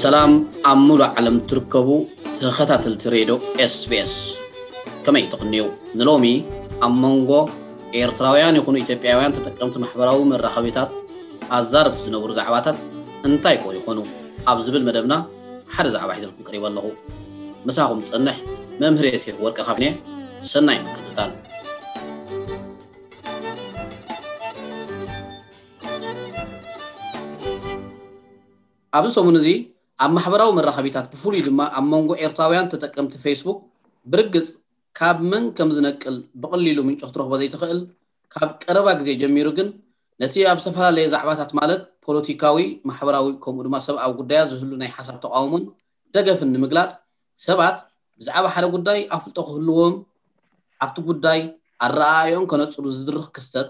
ሰላም ኣብ ሙሉእ ዓለም ትርከቡ ተኸታተልቲ ሬድዮ ኤስቢኤስ፣ ከመይ ትቕንዩ? ንሎሚ ኣብ መንጎ ኤርትራውያን ይኹኑ ኢትዮጵያውያን ተጠቀምቲ ማሕበራዊ መራኸቢታት ኣዛረብቲ ዝነበሩ ዛዕባታት እንታይ ኮን ይኾኑ ኣብ ዝብል መደብና ሓደ ዛዕባ ሒዘልኩም ቀሪበ ኣለኹ። ምሳኹም ዝጸንሕ መምህር የሴፍ ወርቀ ካብኔ። ሰናይ ምክትታል። ኣብዚ ሰሙን እዚ ኣብ ማሕበራዊ መራኸቢታት ብፍሉይ ድማ ኣብ መንጎ ኤርትራውያን ተጠቀምቲ ፌስቡክ ብርግጽ ካብ መን ከም ዝነቅል ብቐሊሉ ምንጪ ክትረኽቦ ዘይትኽእል፣ ካብ ቀረባ ግዜ ጀሚሩ ግን ነቲ ኣብ ዝተፈላለየ ዛዕባታት ማለት ፖለቲካዊ፣ ማሕበራዊ ከምኡ ድማ ሰብኣዊ ጉዳያት ዝህሉ ናይ ሓሳብ ተቓውሞን ደገፍን ንምግላጽ ሰባት ብዛዕባ ሓደ ጉዳይ ኣፍልጦ ክህልዎም ኣብቲ ጉዳይ ኣረኣእዮን ከነጽሩ ዝድርኽ ክስተት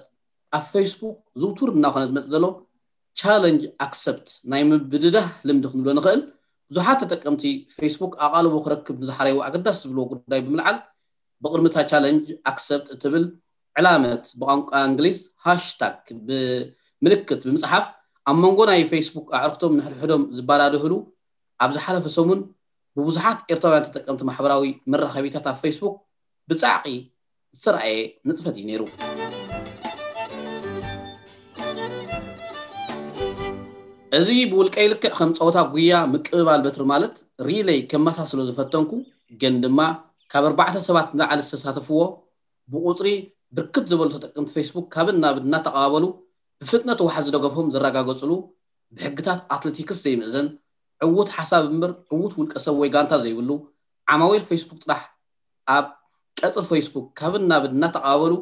ኣብ ፌስቡክ ዝውቱር እናኾነ ዝመጽእ ዘሎ ቻለንጅ ኣክሰፕት ናይ ምብድዳህ ልምዲ ክንብሎ ንኽእል ብዙሓት ተጠቀምቲ ፌስቡክ ኣቓልቦ ክረክብ ንዝሓረይዎ ኣገዳሲ ዝብልዎ ጉዳይ ብምልዓል ብቕድሚ እታ ቻለንጅ ኣክሰፕት እትብል ዕላመት ብቋንቋ እንግሊዝ ሃሽታግ ብምልክት ብምጽሓፍ ኣብ መንጎ ናይ ፌስቡክ ኣዕርክቶም ንሕድሕዶም ዝባዳድህሉ ኣብ ዝሓለፈ ሰሙን ብብዙሓት ኤርትራውያን ተጠቀምቲ ማሕበራዊ መራኸቢታት ኣብ ፌስቡክ ብጻዕቒ ዝተረኣየ ንጥፈት እዩ ነይሩ። እዚ ብውልቀይ ልክዕ ከም ጸወታ ጉያ ምቅብባል በትሪ ማለት ሪለይ ከመሳስሎ ዝፈተንኩ ግን ድማ ካብ ኣርባዕተ ሰባት ንላዕሊ ዝተሳተፍዎ ብቁጽሪ ብርክት ዝበሉ ተጠቀምቲ ፌስቡክ ካብን ናብን እናተቐባበሉ ብፍጥነት ዋሕዚ ደገፎም ዘረጋገጽሉ ብሕግታት ኣትሌቲክስ ዘይምእዘን ዕዉት ሓሳብ እምበር ዕዉት ውልቀ ሰብ ወይ ጋንታ ዘይብሉ ዓማዊል ፌስቡክ ጥራሕ ኣብ ቀጽሪ ፌስቡክ ካብን ናብን እናተቐባበሉ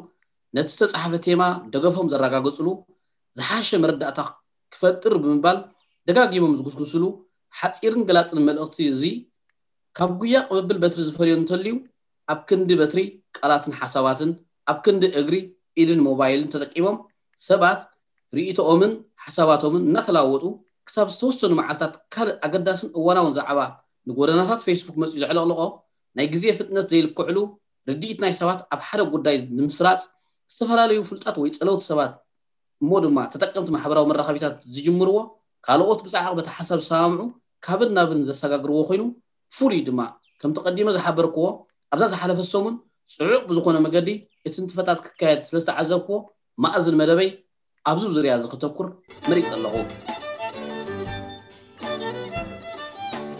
ነቲ ዝተጻሕፈ ቴማ ደገፎም ዘረጋገጽሉ ዝሓሸ መረዳእታ ክፈጥር ብምባል ደጋጊሞም ዝጉስጉስሉ ሓጺርን ገላጽን መልእኽቲ እዚ ካብ ጉያ ቅብብል በትሪ ዝፈልዮ እንተልዩ ኣብ ክንዲ በትሪ ቃላትን ሓሳባትን ኣብ ክንዲ እግሪ ኢድን ሞባይልን ተጠቂሞም ሰባት ርእይቶኦምን ሓሳባቶምን እናተለዋወጡ ክሳብ ዝተወሰኑ መዓልታት ካልእ ኣገዳስን እዋናውን ዛዕባ ንጎደናታት ፌስቡክ መጺኡ ዘዕለቕልቖ ናይ ግዜ ፍጥነት ዘይልክዕሉ ርድኢት ናይ ሰባት ኣብ ሓደ ጉዳይ ንምስራጽ ዝተፈላለዩ ፍልጣት ወይ ጸለውቲ ሰባት እሞ ድማ ተጠቀምቲ ማሕበራዊ መራኸቢታት ዝጅምርዎ ካልኦት ብጻዕቕ በቲ ሓሳብ ዝሰማምዑ ካብን ናብን ዘሰጋግርዎ ኮይኑ ፍሉይ ድማ ከምቲ ቀዲመ ዝሓበርክዎ ኣብዛ ዝሓለፈ ሰሙን ጽዑቕ ብዝኾነ መገዲ እቲ ንጥፈታት ክካየድ ስለ ዝተዓዘብክዎ ማእዝን መደበይ ኣብዚ ዙርያ እዚ ከተኩር መሪጸ ኣለኹ።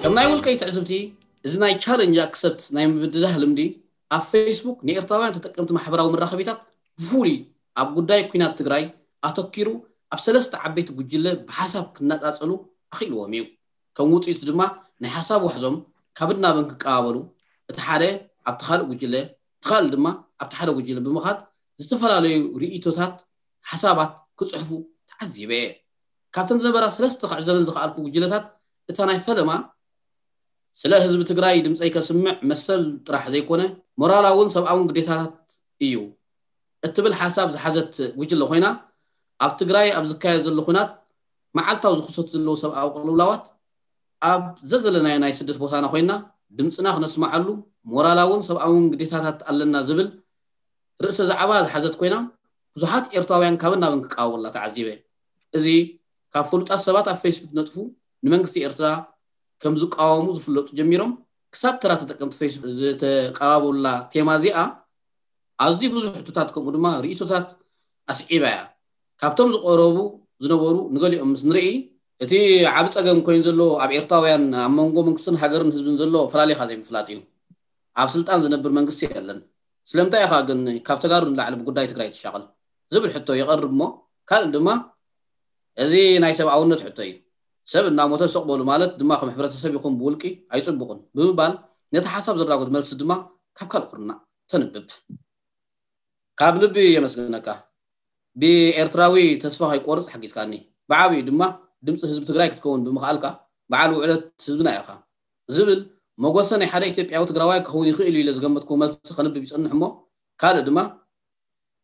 ከም ናይ ውልቀይ ትዕዝብቲ እዚ ናይ ቻለንጅ ኣክሰፕት ናይ ምብድዳህ ልምዲ ኣብ ፌስቡክ ንኤርትራውያን ተጠቀምቲ ማሕበራዊ መራኸቢታት ብፍሉይ ኣብ ጉዳይ ኲናት ትግራይ ኣተኪሩ ኣብ ሰለስተ ዓበይቲ ጉጅለ ብሓሳብ ክነጻጸሉ ኣኽኢልዎም እዩ። ከም ውጽኢቱ ድማ ናይ ሓሳብ ዋሕዞም ካብን ናብን ክቀባበሉ እቲ ሓደ ኣብቲ ካልእ ጉጅለ እቲ ካልእ ድማ ኣብቲ ሓደ ጉጅለ ብምኻድ ዝተፈላለዩ ርእይቶታት ሓሳባት ክጽሕፉ ተዓዚበ እየ። ካብተን ዝነበራ ሰለስተ ክዕዘበን ዝኸኣልኩ ጉጅለታት እታ ናይ ፈለማ ስለ ህዝቢ ትግራይ ድምፀይ ከስምዕ መሰል ጥራሕ ዘይኮነ ሞራላውን ሰብኣውን ግዴታታት እዩ እትብል ሓሳብ ዝሓዘት ጉጅለ ኮይና ኣብ ትግራይ ኣብ ዝካየድ ዘሎ ኩናት መዓልታዊ ዝኽሰቱ ዘለዉ ሰብኣዊ ቅልውላዋት ኣብ ዘዘለናዮ ናይ ስደት ቦታና ኮይና ድምፅና ክነስምዓሉ ሞራላውን ሰብኣውን ግዴታታት ኣለና ዝብል ርእሰ ዛዕባ ዝሓዘት ኮይና ብዙሓት ኤርትራውያን ካብን ናብን ክቃወሙላ ተዓዚበ። እዚ ካብ ፍሉጣት ሰባት ኣብ ፌስቡክ ነጥፉ ንመንግስቲ ኤርትራ ከም ዝቃወሙ ዝፍለጡ ጀሚሮም ክሳብ ተራ ተጠቀምቲ ፌስቡክ ዝተቃባበሉላ ቴማ እዚኣ ኣዝዩ ብዙሕ ሕቶታት ከምኡ ድማ ርእይቶታት ኣስዒባ እያ። ካብቶም ዝቐረቡ ዝነበሩ ንገሊኦም ምስ ንርኢ እቲ ዓቢ ጸገም ኮይኑ ዘሎ ኣብ ኤርትራውያን ኣብ መንጎ መንግስትን ሃገርን ህዝብን ዘሎ ፈላሊኻ ዘይምፍላጥ እዩ። ኣብ ስልጣን ዝነብር መንግስቲ የለን። ስለምንታይ ኢኻ ግን ካብ ተጋሩ ንላዕሊ ብጉዳይ ትግራይ ትሻቐል ዝብል ሕቶ ይቐርብ እሞ ካልእ ድማ እዚ ናይ ሰብኣውነት ሕቶ እዩ። ሰብ እናሞተ ስቕ በሉ ማለት ድማ ከም ሕብረተሰብ ይኹን ብውልቂ ኣይጽቡቕን ብምባል ነቲ ሓሳብ ዘራጉድ መልሲ ድማ ካብ ካልእ ኩርናዕ ተንብብ። ካብ ልቢ የመስግነካ። ብኤርትራዊ ተስፋ ከይቆርጽ ሓጊዝካኒ። ብዓቢኡ ድማ ድምጺ ህዝቢ ትግራይ ክትከውን ብምኽኣልካ በዓል ውዕለት ህዝብና ኢኻ ዝብል መጎሰ ናይ ሓደ ኢትዮጵያዊ ትግራዋይ ክኸውን ይኽእል እዩ ኢለ ዝገመትኩዎ መልሲ ከንብብ ይጸንሕ እሞ ካልእ ድማ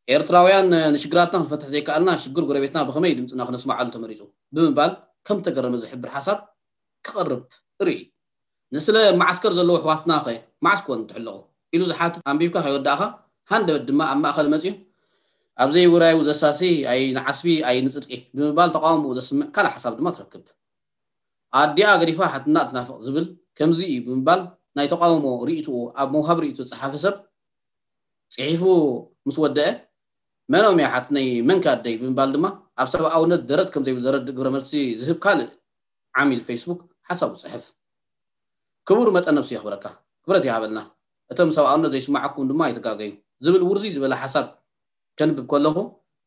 ኤርትራውያን ንሽግራትና ክንፈትሕ ዘይከኣልና ሽግር ጎረቤትና ብኸመይ ድምፅና ክነስማዓሉ ተመሪፁ ብምባል ከም ተገረመ ዝሕብር ሓሳብ ክቐርብ ርኢ። ንስለ መዓስከር ዘለዉ ኣሕዋትና ኸ መዓስ ኮን ትሕለቑ ኢሉ ዝሓትት ኣንቢብካ ከይወዳእኻ ሃንደበት ድማ ኣብ ማእኸል መፂኡ ኣብ ዘይውራዩ ዘሳሲ ኣይ ንዓስቢ ኣይ ንፅድቂ ብምባል ተቃውምኡ ዘስምዕ ካልእ ሓሳብ ድማ ትረክብ። ኣዲኣ ገዲፋ ሓትና ትናፍቕ ዝብል ከምዚ እዩ ብምባል ናይ ተቃውሞ ርእይትኡ ኣብ መውሃብ ርእይቶ ዝጸሓፈ ሰብ ጽሒፉ ምስ ወደአ፣ መኖም እያ ሓትነይ፣ መንከ ኣደይ ብምባል ድማ ኣብ ሰብኣውነት ደረት ከም ዘይብል ዘረድእ ግብረ መልሲ ዝህብ ካልእ ዓሚል ፌስቡክ ሓሳቡ ጽሕፍ። ክቡር መጠን ነብሲ የኽብረካ፣ ክብረት ይሃበልና። እቶም ሰብኣውነት ዘይስማዓኩም ድማ ኣይትጋገዩ ዝብል ውርዚ ዝበለ ሓሳብ ከንብብ ከለኹ፣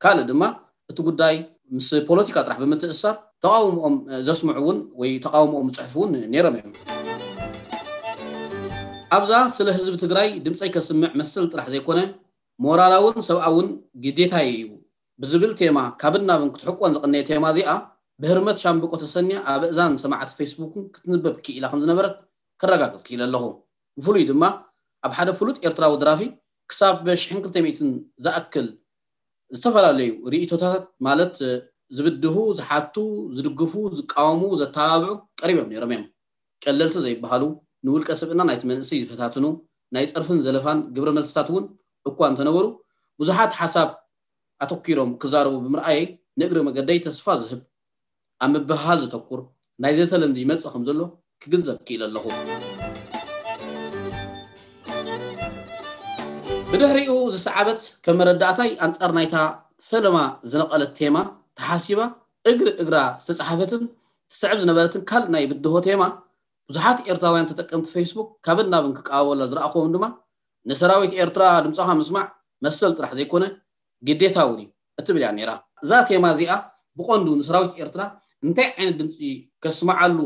ካልእ ድማ እቲ ጉዳይ ምስ ፖለቲካ ጥራሕ ብምትእሳር ተቃውሞኦም ዘስምዑ እውን ወይ ተቃውሞኦም ዝፅሕፉ እውን ነይሮም እዮም። ኣብዛ ስለ ህዝቢ ትግራይ ድምፀይ ከስምዕ መሰል ጥራሕ ዘይኮነ ሞራላውን ሰብኣውን ግዴታየ እዩ ብዝብል ቴማ ካብን ናብን ክትሕቆን ዝቐነየ ቴማ እዚኣ ብህርመት ሻምብቆ ተሰንያ ኣብ እዛን ሰማዕቲ ፌስቡክን ክትንበብ ክኢላ ከም ዝነበረት ከረጋግፅ ክኢለ ኣለኹ። ብፍሉይ ድማ ኣብ ሓደ ፍሉጥ ኤርትራዊ ደራፊ ክሳብ ሽሕን ክልተ ሚእትን ዝኣክል ዝተፈላለዩ ርእይቶታት ማለት ዝብድሁ፣ ዝሓቱ፣ ዝድግፉ፣ ዝቃወሙ፣ ዘተባብዑ ቀሪቦም ነይሮም እዮም። ቀለልቲ ዘይበሃሉ ንውልቀ ስብእና ናይቲ መንእሰይ ዝፈታትኑ ናይ ጸርፍን ዘለፋን ግብረ መልስታት እውን እኳ እንተነበሩ ብዙሓት ሓሳብ ኣተኪሮም ክዛረቡ ብምርኣየይ ንእግሪ መገደይ ተስፋ ዝህብ ኣብ ምብህሃል ዘተኩር ናይ ዘተ ልምዲ ይመጽእ ከም ዘሎ ክግንዘብ ክኢለ ኣለኹ። ብድሕሪኡ ዝሰዓበት ከም መረዳእታይ ኣንጻር ናይታ ፈለማ ዝነቐለት ቴማ ተሓሲባ እግሪ እግራ ዝተጻሓፈትን ትስዕብ ዝነበረትን ካልእ ናይ ብድሆ ቴማ ብዙሓት ኤርትራውያን ተጠቀምቲ ፌስቡክ ካብን ናብን ክቃወላ ዝረኣኹዎም ድማ ንሰራዊት ኤርትራ ድምፅኻ ምስማዕ መሰል ጥራሕ ዘይኮነ ግዴታ እውን እዩ እትብል እያ ነይራ። እዛ ቴማ እዚኣ ብቐንዱ ንሰራዊት ኤርትራ እንታይ ዓይነት ድምፂ ከስምዓሉ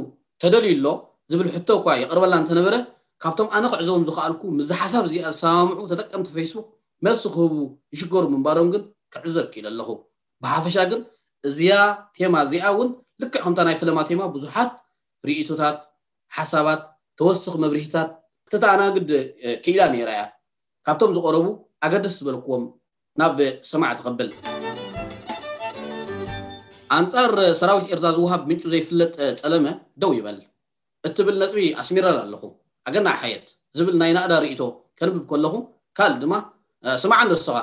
ተደልዩ ኣሎ ዝብል ሕቶ እኳ የቕርበላ እንተነበረ ካብቶም ኣነ ክዕዘቦም ዝኸኣልኩ ምስዚ ሓሳብ እዚኣ ዝሰማምዑ ተጠቀምቲ ፌስቡክ መልሲ ክህቡ ይሽገሩ ምንባሮም ግን ክዕዘብ ክኢለ ኣለኹ። ብሓፈሻ ግን እዚኣ ቴማ እዚኣ እውን ልክዕ ከምታ ናይ ፈለማ ቴማ ብዙሓት ርእይቶታት፣ ሓሳባት፣ ተወስኽ መብርሂታት ክተተኣናግድ ክኢላ ነይራ እያ። ካብቶም ዝቐረቡ ኣገደስ ዝበልክዎም ናብ ሰማዕቲ ከብል። ኣንጻር ሰራዊት ኤርትራ ዝወሃብ ምንጩ ዘይፍለጥ ጸለመ ደው ይበል እትብል ነጥቢ ኣስሚረላ ኣለኹ። ኣገናዕ ሓየት ዝብል ናይ ናእዳ ርእይቶ ከንብብ ከለኹ ካልእ ድማ ስማዕ እንዶ ንስኻ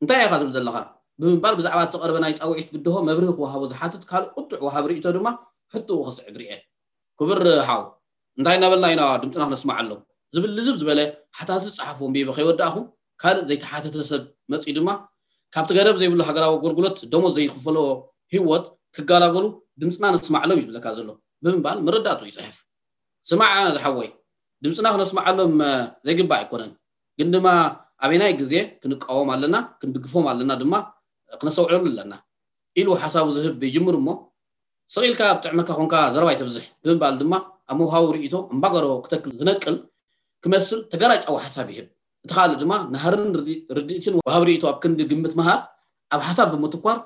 እንታይ ኢኻ ዝብል ዘለኻ ብምባል ብዛዕባ እቲ ዝቐረበ ናይ ጻውዒት ብድሆ መብርሂ ክወሃቦ ዝሓትት ካልእ ቁጡዕ ወሃቢ ርእይቶ ድማ ሕቶኡ ክስዕብ ርኤ። ክቡር ሓው እንታይ እናበልና ኢና ድምፅና ክነስምዓሎም ዝብል ልዝብ ዝበለ ሓታቲ ዝፀሓፎ ኣንቢበ ከይወዳእኹ ካልእ ዘይተሓተተ ሰብ መፂኡ ድማ ካብቲ ገደብ ዘይብሉ ሃገራዊ ኣገልግሎት ደሞዝ ዘይኽፈሎ ህይወት ክገላገሉ ድምፅና ነስማዕሎም እዩ ዝብለካ ዘሎ ብምባል መረዳእቱ ይፅሕፍ። ስማዕ ዝሓወይ ድምፅና ክነስምዓሎም ዘይግባእ ኣይኮነን ግን ድማ ኣበናይ ግዜ ክንቃወም ኣለና ክንድግፎም ኣለና ድማ ክነስተውዕለሉ ኣለና ኢሉ ሓሳቡ ዝህብ ይጅምር እሞ ስቕ ኢልካ ኣብ ጥዕመካ ኮንካ ዘረባ ኣይተብዝሕ ብምባል ድማ ኣብ መውሃቡ ርእይቶ ኣምባገሮ ክተክል ዝነቅል ክመስል ተጋራጫዊ ሓሳብ ይህብ። እቲ ካልእ ድማ ናህርን ርድኢትን ወሃብ ርእይቶ ኣብ ክንዲ ግምት ምሃብ ኣብ ሓሳብ ብምትኳር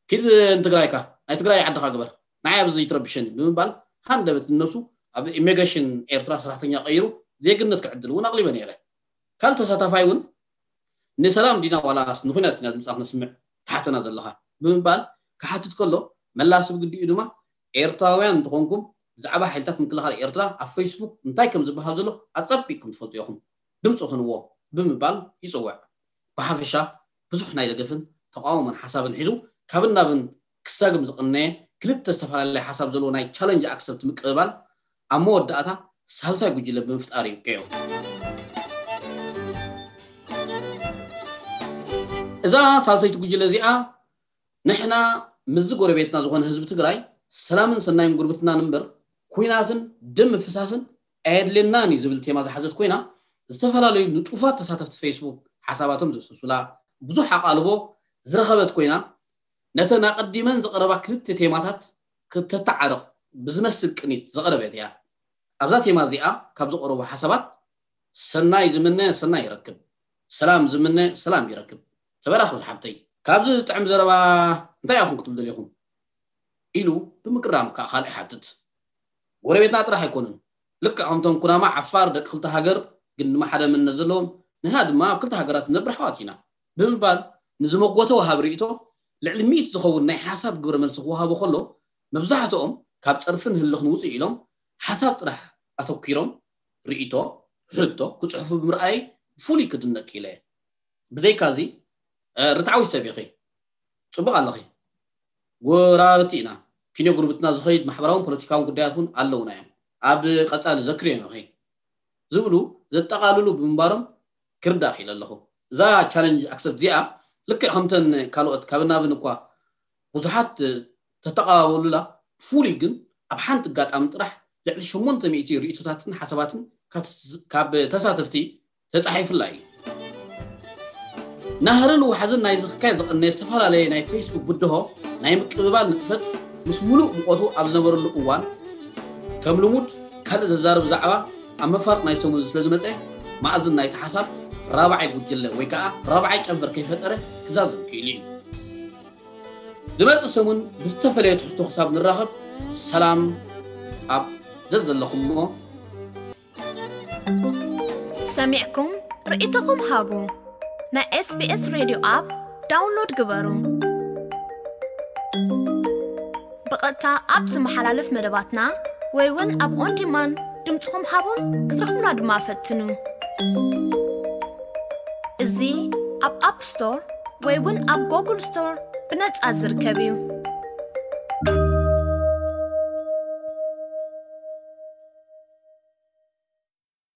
ኪድ ንትግራይካ ናይ ትግራይ ዓድኻ ግበር ንዓይ ኣብዚ ይትረብሸኒ ብምባል ሃንደበት ንነብሱ ኣብ ኢሚግሬሽን ኤርትራ ሰራሕተኛ ቀይሩ ዜግነት ክዕድል እውን ኣቕሊበ ነይረ። ካልእ ተሳታፋይ እውን ንሰላም ዲና ዋላስ ንኩናት ኢና ድምፃ ክነስምዕ ትሓተና ዘለኻ ብምባል ክሓትት ከሎ መላሲ ብግዲኡ ድማ ኤርትራውያን እንተኾንኩም ብዛዕባ ሓይልታት ምክልኻል ኤርትራ ኣብ ፌስቡክ እንታይ ከም ዝበሃል ዘሎ ኣጸቢቕኩም ትፈልጡ ኢኹም ድምፂ ኹንዎ ብምባል ይፅውዕ። ብሓፈሻ ብዙሕ ናይ ደገፍን ተቃውሞን ሓሳብን ሒዙ ካብን ናብን ክሳግም ዝቕነየ ክልተ ዝተፈላለየ ሓሳብ ዘለዎ ናይ ቻለንጅ ኣክሰፕት ምቅብባል ኣብ መወዳእታ ሳልሳይ ጉጅለ ብምፍጣር ይብቅዑ። እዛ ሳልሰይቲ ጉጅለ እዚኣ ንሕና ምስዚ ጎረቤትና ዝኾነ ህዝቢ ትግራይ ሰላምን ሰናይን ጉርብትናን እምበር ኩናትን ደም ምፍሳስን ኣየድልየናን እዩ ዝብል ቴማ ዝሓዘት ኮይና ዝተፈላለዩ ንጡፋት ተሳተፍቲ ፌስቡክ ሓሳባቶም ዘስሱላ ብዙሕ ኣቓልቦ ዝረኸበት ኮይና ነተን ኣቐዲመን ዝቐረባ ክልተ ቴማታት ክተተዓርቕ ብዝመስል ቅኒት ዘቐረበት እያ። ኣብዛ ቴማ እዚኣ ካብ ዝቐረቡ ሓሳባት ሰናይ ዝምነ ሰናይ ይረክብ፣ ሰላም ዝምነ ሰላም ይረክብ። ተበራኺ ዝሓብተይ። ካብዚ ዝጥዕም ዘረባ እንታይ ኢኹም ክትብሉ ደሊኹም? ኢሉ ብምግራም ከዓ ካልእ ይሓትት። ጎረቤትና ጥራሕ ኣይኮኑን። ልክዕ ከምቶም ኩናማ ዓፋር ደቂ ክልተ ሃገር ግን ድማ ሓደ መንነት ዘለዎም ንሕና ድማ ኣብ ክልተ ሃገራት ንነብር ኣሕዋት ኢና ብምባል ንዝመጎተ ወሃቢ ርእይቶ ልዕሊ ሚእቲ ዝኸውን ናይ ሓሳብ ግብረ መልሲ ክወሃቦ ከሎ መብዛሕትኦም ካብ ጸርፍን ህልኽን ውፅእ ኢሎም ሓሳብ ጥራሕ ኣተኲሮም ርእይቶ፣ ሕቶ ክፅሕፉ ብምርኣየይ ብፍሉይ ክድነቅ ክኢለ እየ። ብዘይካዚ ርትዓዊት ሰብ ኢኺ፣ ፅቡቕ ኣለኺ፣ ጎረባብቲ ኢና፣ ኪኖ ጉርብትና ዝኸይድ ማሕበራውን ፖለቲካውን ጉዳያት እውን ኣለውና እዮም። ኣብ ቀጻሊ ዘክርዮ ንኸይ ዝብሉ ዘጠቓልሉ ብምንባሮም ክርዳእ ክኢለ ኣለኹ። እዛ ቻለንጅ ኣክሰፕት እዚኣ ልክዕ ከምተን ካልኦት ካብ ናብን እኳ ብዙሓት ተተቓባበሉላ፣ ፍሉይ ግን ኣብ ሓንቲ ኣጋጣሚ ጥራሕ ልዕሊ ሸሞንተ ሚእቲ ርእይቶታትን ሓሳባትን ካብ ተሳተፍቲ ተጻሒፉላ እዩ። ናህርን ዋሕዝን ናይ ዝኽካይ ዝቐነየ ዝተፈላለየ ናይ ፌስቡክ ብድሆ ናይ ምቅብባል ንጥፈት ምስ ሙሉእ ሙቐቱ ኣብ ዝነበረሉ እዋን ከም ልሙድ ካልእ ዘዛርብ ዛዕባ ኣብ መፋርቕ ናይ ሰሙን ስለ ዝመጸ፣ ማእዝን ናይቲ ሓሳብ ራብዓይ ጉጅለ ወይ ከዓ ራብዓይ ጨንፈር ከይፈጠረ ክዛዘም ክኢሉ እዩ። ዝመጽእ ሰሙን ብዝተፈለየ ትሕዝቶ ክሳብ ንራኸብ ሰላም ኣብ ዘዘለኹሞ። ሰሚዕኩም ርእይቶኹም ሃቡ። ናይ ኤስቢኤስ ሬድዮ ኣፕ ዳውንሎድ ግበሩ። ብቐጥታ ኣብ ዝመሓላለፍ መደባትና ወይ እውን ኣብ ኦን ዲማንድ ድምፅኹም ሃቡን ክትረኽቡና ድማ ፈትኑ። እዚ ኣብ ኣፕ ስቶር ወይ እውን ኣብ ጎግል ስቶር ብነፃ ዝርከብ እዩ።